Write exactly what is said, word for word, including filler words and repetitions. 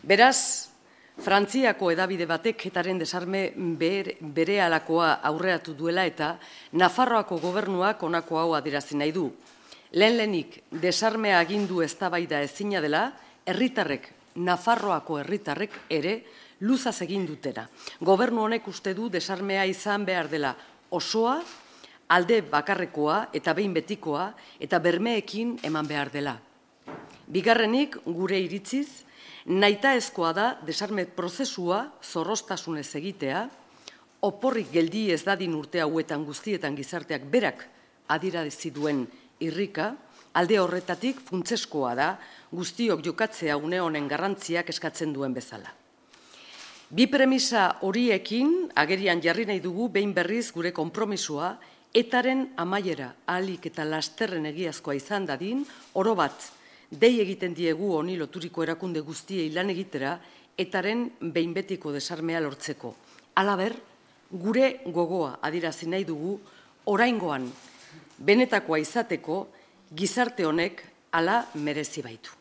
Beraz, Frantziako edabide batek etaren desarme bere alakoa aurreratu duela eta Nafarroako gobernuak honako hau adierazi nahi du. Lehen lehenik desarmea agindu eztabaida ezina dela, herritarrek, Nafarroako herritarrek ere luzaz egin dutera. Gobernu honek uste du desarmea izan behar dela osoa, alde bakarrekoa eta behin betikoa eta bermeekin eman behar dela. Bigarrenik, gure iritziz, nahitaezkoa da desarme prozesua zorroztasunez egitea, oporrik geldi ez dadin urte hauetan guztietan gizarteak berak adierazi duen irrika, alde horretatik funtseskoa da guztiok jokatzea une honen garrantziak eskatzen duen bezala. Bi premisa horiekin agerian jarri nahi dugu behin berriz gure konpromisoa etaren amaiera ahalik eta lasterren egiazkoa izan dadin, oro bat, dei egiten diegu honi loturiko erakunde guztiei lan egitera etaren behin betiko desarmea lortzeko. Halaber, gure gogoa adierazi nahi dugu oraingoan benetakoa izateko gizarte honek hala merezi baitu.